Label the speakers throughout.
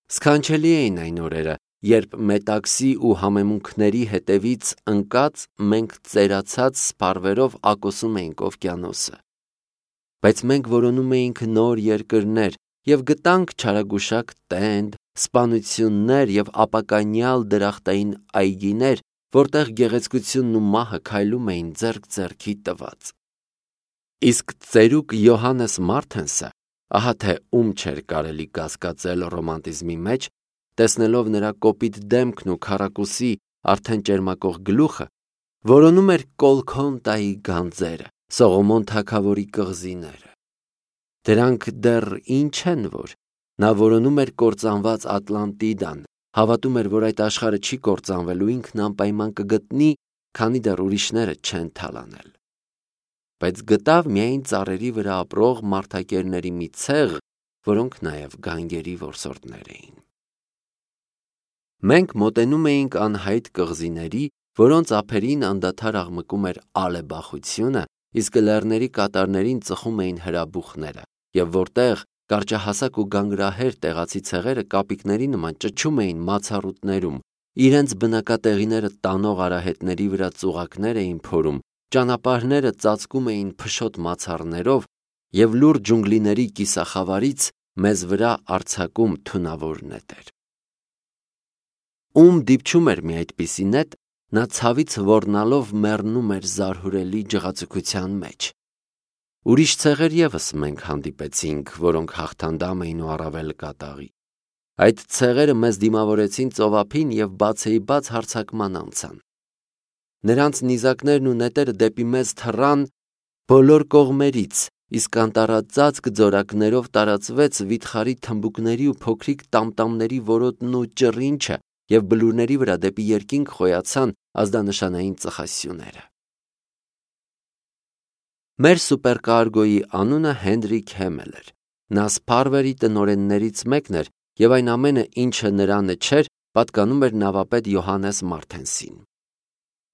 Speaker 1: Սքանչելի էին այն օրերը, երբ մետաքսի ու համեմունքների հետևից ընկած մենք ծերացած սփարվերով ակոսում էինք օվկիանոսը։ Բայց մենք որոնում էինք նոր երկրներ և գտանք չարագուշակ տենդ, սպանություններ և ապականյալ դրախտային այգիներ, որտեղ գեղեցկությունն ու մահը քայլում էին ձեռք ձեռքի տված։ Իսկ ծերուկ Յոհաննես Մարթենսը, ահա թե ում չէր կարելի կասկածել ռոմանտիզմի մեջ, տեսնելով նրա կոպիտ դեմքն ու քառակուսի արդեն ճերմակող գլուխը, որոնում էր Կոլքոնտայի գանձերը, Սողոմոն թագավորի կղզիները։ Դրանք դեռ ինչ են, որ նա որոնում էր կործանված Ատլանտիդան, հավատում էր, որ այդ աշխարհը չի կործանվելու, ինքն անպայման կգտնի, քանի դեռ ուրիշները չեն թալանել։ Բայց գտավ միայն ծառերի վրա ապրող մարդակերների մի ցեղ, որոնք նաև գանգերի որսորդներ էին։ Մենք մոտենում էինք անհայտ կղզիների, որոնց ափերին անդադար աղմկում էր ալեբախությունը, իսկ լեռների կատարներին ծխում էին հրաբուխները, և որտեղ կարճահասակ ու գանգրահեր տեղացի ցեղերը կապիկների նման ճչում էին մացառուտներում, իրենց բնակատեղիները տանող արահետների վրա ծուղակներ էին փորում, ճանապարհները ծածկում էին փշոտ մացառներով և լուռ ջունգլիների կիսախավարից մեզ վրա արձակում թունավոր նետեր։ Ում դիպչում էր մի այդպիսի նետ, նա ցավից ոռնալով մեռնում էր զարհուրելի ջղացության մեջ։ Ուրիշ ցեղեր ևս մենք հանդիպեցինք, որոնք հաղթանդամ էին ու առավել կատաղի։ Այդ ցեղերը մեզ դիմավորեցին ծովափին և բացեիբաց հարձակման անցան։ Նրանց նիզակներն ու նետերը դեպի մեզ թռան բոլոր կողմերից, իսկ անտառածածկ ձորակներով տարածվեց վիթխարի թմբուկների ու փոքրիկ տամտամների որոտն ու ճռինչը, և բլուրների վրա դեպի երկինք խոյացան ազդանշանային ծխասյուները։ Մեր սուպերկարգոյի անունը Հենրիկ Հեմել էր։ Նա Սփարվերի տնօրեններից մեկն էր, և այն ամենը, ինչը նրանը չէր, պատկանում էր նավապետ Յոհաննես Մարթենսին։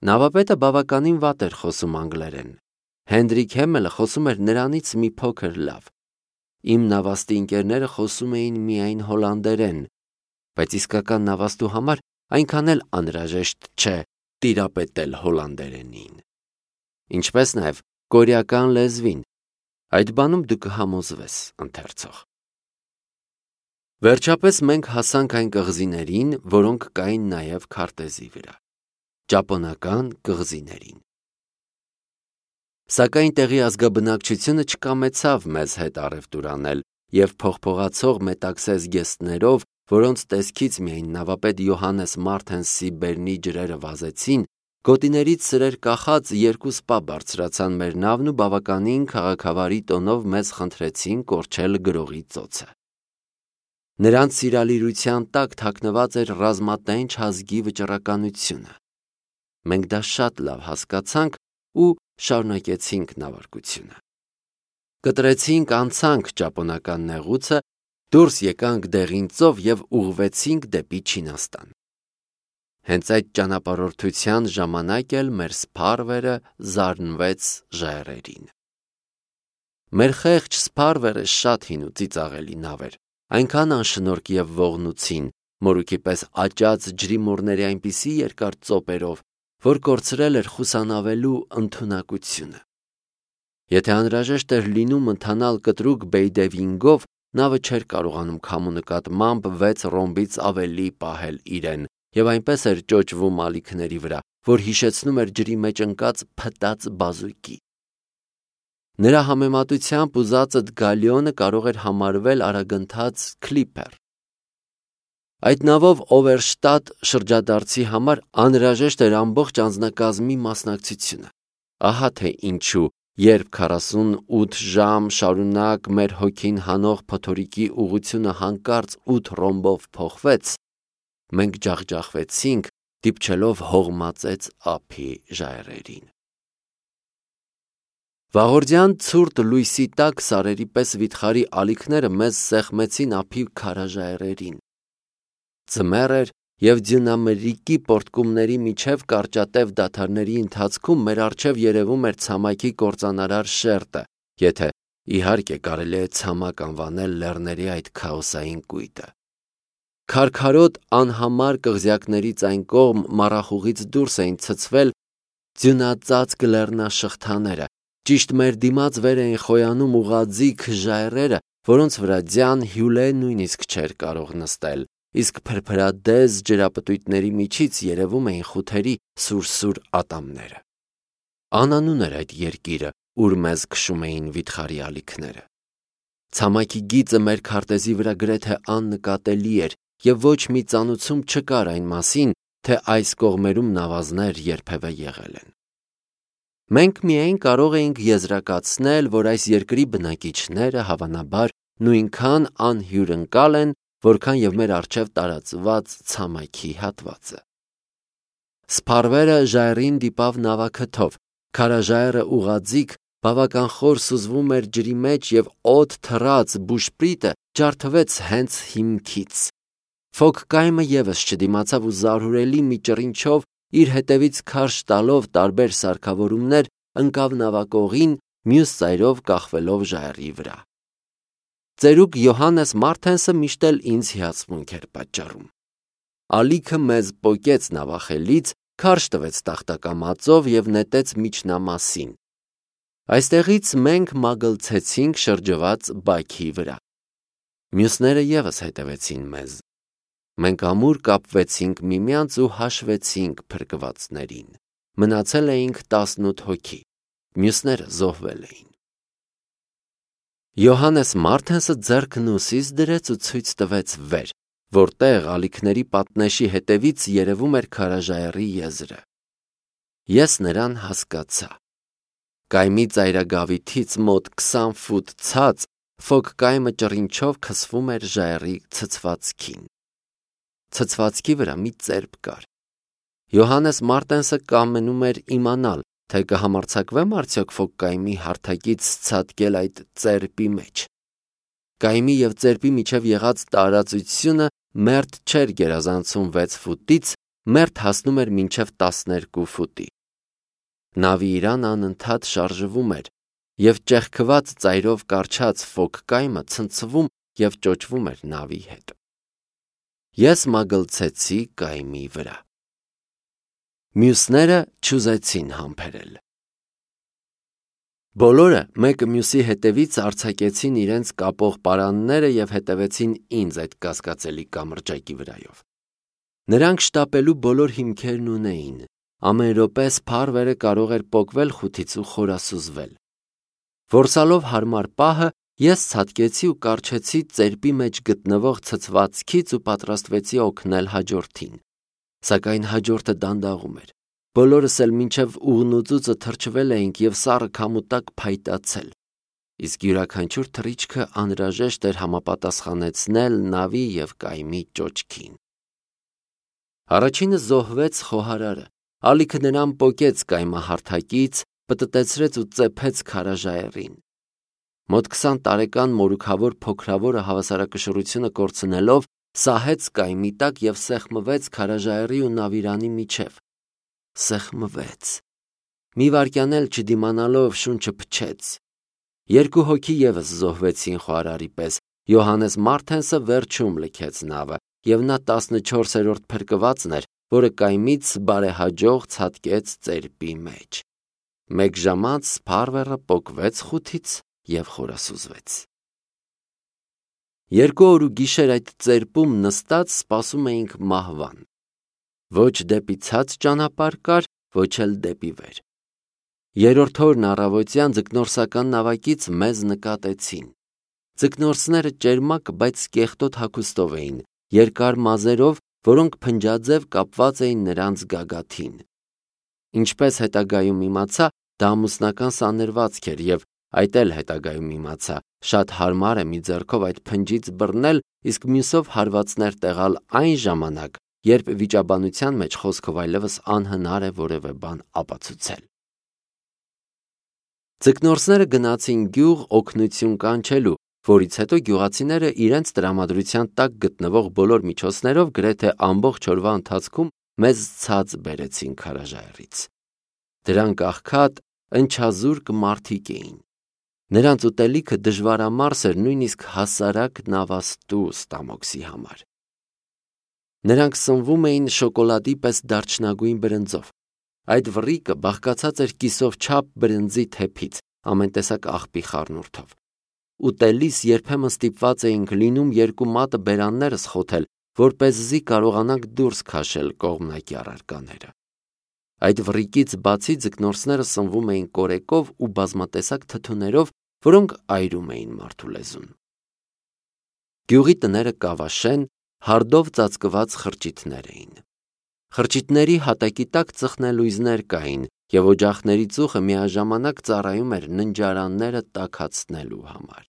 Speaker 1: Նավապետը բավականին վատ էր խոսում անգլերեն։ Հենրիկ Հեմելը խոսում էր նրանից մի փոքր լավ։ Իմ նավաստի ընկերները խոսում էին միայն հոլանդերեն, բայց իսկական նավաստու համար այնքան էլ անհրաժեշտ չէ տիրապետել հոլանդերենին։ Ինչպես նաև կորեական լեզվին, այդ բանում դու կհամոզվես, ընթերցող։ Վերջապես մենք հասանք այն կղզիներին, որոնք կային նաև քարտեզի վրա։ Ճապոնական կղզիներին։ Սակայն տեղի ազգաբնակչությունը չկամեցավ մեզ հետ առևտուր անել և փողփողացող մետաքսե զգեստներով, որոնց տեսքից միայն նավապետ Յոհաննես Մարթենսի բերնի ջրերը վազեցին, գոտիներից սրեր կախած երկու սպա բարձրացան մեր նավն ու բավականին քաղաքավարի տոնով մեզ խնդրեցին կորչել գրողի ծոցը։ Նրանց սիրալիրության տակ թաքնված էր ռազմատենչ ազգի վճռականությունը։ Մենք դա շատ լավ հասկացանք ու շարունակեցինք նավարկությունը։ Կտրեցինք, անցանք ճապոնական նեղուցը, դուրս եկանք դեղին ծով և ուղղվեցինք դեպի Չինաստան։ Հենց այդ ճանապարհորդության ժամանակ էլ մեր Սփարվերը զարնվեց ժայռերին։ Մեր խեղճ Սփարվերը շատ հին ու ծիծաղելի նավ էր, այնքան անշնորհք և ողնուցին, մորուքի պես աճած ջրիմուռների այնպիսի երկար ծոպերով, որ կորցրել էր խուսանավելու ընդունակությունը։ Եթե անհրաժեշտ էր լինում ընթանալ կտրուկ բեյդևինգով, նավը չէր կարողանում քամու նկատմամբ 6 ռոմբից ավելի պահել իրեն և այնպես էր ճոճվում ալիքների վրա, որ հիշեցնում էր ջրի մեջ ընկած փտած բազուկի։ Նրա համեմատությամբ ուզածդ գալիոնը կարող էր համարվել արագընթաց քլիպեր։ Այդ նավով Օվերշտատ շրջադարձի համար անհրաժեշտ էր ամբողջ անձնակազմի մասնակցությունը։ Ահա թե ինչու, երբ 48 ժամ շարունակ մեր հոգին հանող փոթորիկի ուղղությունը հանկարծ 8 ռոմբով փոխվեց, մենք ջախջախվեցինք, դիպչելով հողմածեց ափի ժայռերին։ Վաղորդյան ցուրտ լույսի տակ սարերի պես վիթխարի ալիքները մեզ սեղմեցին ափի քարաժայռերին։ Ձմեռ էր, և ձյունամրրիկի պոռթկումների միջև կարճատև դադարների ընթացքում մեր առջև երևում էր ցամաքի կործանարար շերտը, եթե, իհարկե, կարելի է ցամաք անվանել լեռների այդ քաոսային կույտը։ Քարքարոտ անհամար կղզյակներից այն կողմ մառախուղից դուրս էին ցցվել ձյունածածկ լեռնաշղթաները, ճիշտ մեր դիմաց վեր էին խոյանում ուղղաձիգ ժայռերը, որոնց վրա ձյան հյուլե նույնիսկ չէր կարող նստել, իսկ փրփրադեզ ջրապտույտների միջից երևում էին խութերի սուրսուր ատամները։ Անանուն էր այդ երկիրը, ուր մեզ քշում էին վիթխարի ալիքները։ Ցամաքի գիծը մեր քարտեզի վրա գրեթե աննկատելի էր և ոչ մի ծանուցում չկար այն մասին, թե այս կողմերում նավազներ երբևէ եղել են։ Մենք միայն կարող էինք եզրակացնել, որ այս երկրի բնակիչները հավանաբար նույնքան անհյուրընկալ են, որքան և մեր առջև տարածված ցամաքի հատվածը։ Սփարվերը ժայռին դիպավ նավաքթով, քարաժայռը ուղղաձիգ, բավական խոր սուզվում էր ջրի մեջ և օդ թռած բուշպրիտը ջարդվեց հենց հիմքից։ Ֆոք կայմը ևս չդիմացավ ու զարհուրելի մի ճռինչով իր հետևից քարշ տալով տարբեր սարքավորումներ ընկավ նավակողին, մյուս ծայրով կախվելով ժայռի վրա։ Ծերուկ Յոհաննես Մարթենսը միշտ էլ ինձ հիացմունք էր պատճառում։ Ալիքը մեզ պոկեց նավախելից, քարշ տվեց տախտակամածով և նետեց միջնամասին։ Այստեղից մենք մագլցեցինք շրջված բաքի վրա։ Մյուսները ևս հետևեցին մեզ։ Մենք ամուր կապվեցինք միմյանց ու հաշվեցինք փրկվածներին։ Մնացել էինք 18 հոգի, մյուսները զոհվել էին։ Յոհաննես Մարթենսը ձեռքն ուսիս դրեց ու ցույց տվեց վեր, որտեղ ալիքների պատնեշի հետևից երևում էր քարաժայռի եզրը։ Ես նրան հասկացա։ Կայմի ծայրագավիթից մոտ 20 ֆուտ ցած ֆոք կայմը ճռինչով քսվում էր ժայռի ցցվածքին։ Ցցվածքի վրա մի ծերբ կար։ Յոհաննես Մարտենսը կամենում էր իմանալ, թե կհամարձակվեմ արդյոք ֆոք կայմի հարթակից ցատկել այդ ծերբի մեջ։ Կայմի և ծերբի միջև եղած տարածությունը մերթ չէր գերազանցում 6 ֆուտից, մերթ հասնում էր մինչև 12 ֆուտի։ Նավի իրանը անընդհատ շարժվում էր, և ճեղքված ծայրով կառչած ֆոք կայմը ցնցվում և ճոճվում էր նավի հետ։ Ես մագլցեցի կայմի վրա։ Մյուսները չուզեցին համբերել։ Բոլորը մեկը մյուսի հետևից արձակեցին իրենց կապող պարանները և հետևեցին ինձ այդ կասկածելի կամրջակի վրայով։ Նրանք շտապելու բոլոր հիմքերն ունեին։ Ամեն րոպե սփարվերը կարող էր պոկվել խութից ու խորասուզվել։ Որսալով հարմար պահը, ես ցատկեցի ու կառչեցի ծերբի մեջ գտնվող ցցվածքից ու պատրաստվեցի օգնել հաջորդին։ Սակայն հաջորդը դանդաղում էր։ Բոլորս էլ մինչև ուղնուծուծը թրջվել էինք և սառը քամու տակ փայտացել։ Իսկ յուրաքանչյուր թռիչքը անհրաժեշտ էր համապատասխանեցնել նավի և կայմի ճոճքին։ Առաջինը զոհվեց խոհարարը։ Ալիքը նրան պոկեց կայմահարթակից, պտտեցրեց ու ծեփեց քարաժայռին։ Մոտ 20 տարեկան մորուքավոր փոքրավորը հավասարակշռությունը կորցնելով սահեց կայմի տակ և սեղմվեց քարաժայռի ու նավիրանի միջև։ Սեղմվեց։ Մի վայրկյան էլ չդիմանալով շունչը փչեց։ Երկու հոգի ևս զոհվեցին խոհարարի պես։ Յոհաննես Մարթենսը վերջում լքեց նավը, և նա 14-րդ փրկվածն էր, որը կայմից բարեհաջող ցատկեց ծերբի մեջ։ Մեկ ժամանց սփարվերը պոկվեց խութից և խորասուզվեց։ 2 օր ու գիշեր այդ ծերբում նստած սպասում էինք մահվան։ Ոչ դեպի ցած ճանապարհ կար, ոչ էլ դեպի վեր։ Երրորդ օրն առավոտյան ձկնորսական նավակից մեզ նկատեցին։ Ձկնորսները ճերմակ, բայց կեղտոտ հագուստով էին, երկար մազերով, որոնք փնջաձև կապված էին նրանց գագաթին։ Ինչպես հետագայում իմացա, դա ամուսնական սանրվածք էր և այդ էլ հետագայում իմացա, շատ հարմար է մի ձեռքով այդ փնջից բռնել, իսկ մյուսով հարվածներ տեղալ այն ժամանակ, երբ վիճաբանության մեջ խոսքով այլևս անհնար է որևէ բան ապացուցել։ Ձկնորսները գնացին գյուղ օգնություն կանչելու, որից հետո գյուղացիները իրենց տրամադրության տակ գտնվող բոլոր միջոցներով գրեթե ամբողջ օրվա ընթացքում մեզ ցած բերեցին քարաժայռից։ Դրանք աղքատ, ընչազուրկ մարդիկ էին։ Նրանց ուտելիքը դժվարամարս էր նույնիսկ հասարակ նավաստու ստամոքսի համար։ Նրանք սնվում էին շոկոլադի պես դարչնագույն բրնձով։ Այդ վռիկը բաղկացած էր կիսով չափ բրնձի թեփից, ամեն տեսակ աղբի խառնուրդով։ Ուտելիս երբեմն ստիպված էինք լինում երկու մատը բերաններս խոթել, որպեսզի կարողանանք դուրս քաշել կողմնակի առարկաները։ Այդ վռիկից բացի ձկնորսները սնվում էին կորեկով ու բազմատեսակ թթուներով, որոնք այրում էին մարդու լեզուն։ Գյուղի տները կավաշեն, հարդով ծածկված խրճիթներ էին։ Խրճիթների հատակի տակ ծխնելույզներ կային, և օջախների ծուխը միաժամանակ ծառայում էր ննջարանները տաքացնելու համար։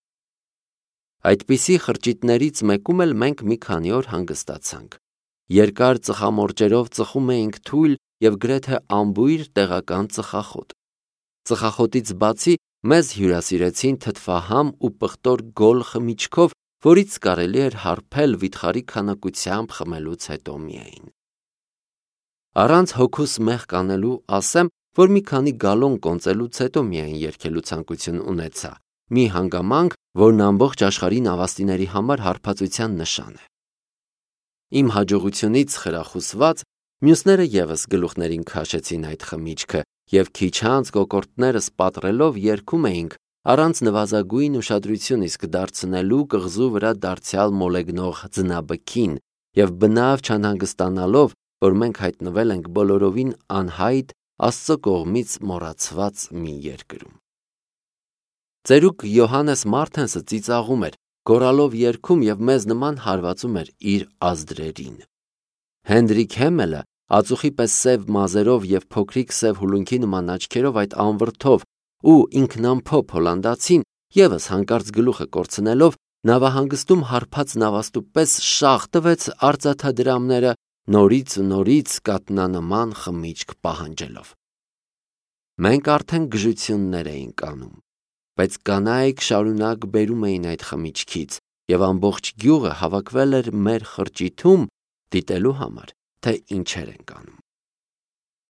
Speaker 1: Այդպիսի խրճիթներից մեկում էլ մենք մի քանի օր հանգստացանք։ Երկար ծխամորճերով ծխում էինք թույլ և գրեթե անբույր տեղական ծխախոտ։ Ծխախոտից բացի մեզ հյուրասիրեցին թթվահամ ու պղտոր գոլ խմիչքով, որից կարելի էր հարբել վիթխարի քանակությամբ խմելուց հետո միայն։ Առանց հոգուս մեղք անելու ասեմ, որ մի քանի գալոն կոնծելուց հետո միայն երգելու ցանկություն ունեցա, մի հանգամանք, որն ամբողջ աշխարհի նավաստիների համար հարբածության նշան է։ Իմ հաջողությունից խրախուսված մյուսները ևս գլուխներին քաշեցին այդ խմիչքը և քիչ անց կոկորդներս պատռելով երգում էինք առանց նվազագույն ուշադրություն իսկ դարձնելու կղզու վրա դարձյալ մոլեգնող ձնաբքին և բնավ չանհանգստանալով, որ մենք հայտնվել ենք բոլորովին անհայտ Աստծո կողմից մոռացված մի երկրում։ Ծերուկ Յոհաննես Մարթենսը ծիծաղում էր, գոռալով երգում և մեզ նման հարվածում էր իր ազդրերին։ Հենրիկ Հեմելը ածուխի պես սև մազերով և փոքրիկ սև հուլունքի նման աչքերով այդ անվրդով ու ինքնամփոփ հոլանդացին ևս հանկարծ գլուխը կորցնելով նավահանգստում հարբած նավաստու պես շաղ տվեց արծաթադրամները, նորից ու նորից կատնանման խմիչք պահանջելով։ Մենք արդեն գժություններ էինք անում, բայց կանայք շարունակ բերում էին այդ խմիչքից, և ամբողջ գյուղը հավաքվել էր մեր խրճիթում դիտելու համար, թե ինչեր ենք անում։